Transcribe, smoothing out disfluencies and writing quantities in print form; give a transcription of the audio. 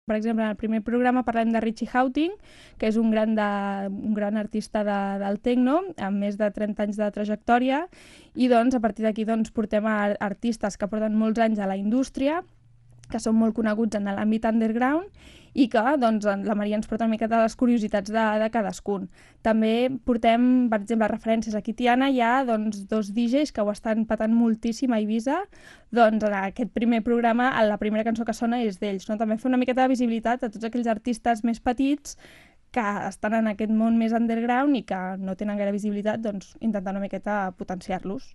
Per exemple, en el primer programa parlem de Richie Houghton, que és un gran artista del techno, amb més de 30 anys de trajectòria, i doncs, a partir d'aquí portem a artistes que porten molts anys a la indústria, que són molt coneguts en l'àmbit underground i que la Maria ens porta una miqueta les curiositats de cadascun. També portem, per exemple, referències. Aquí a Tiana hi ha dos DJs que ho estan patant moltíssim a Eivissa. En aquest primer programa la primera cançó que sona és d'ells. No? També fer una miqueta de visibilitat a tots aquells artistes més petits que estan en aquest món més underground i que no tenen gaire visibilitat, intentant una miqueta potenciar-los.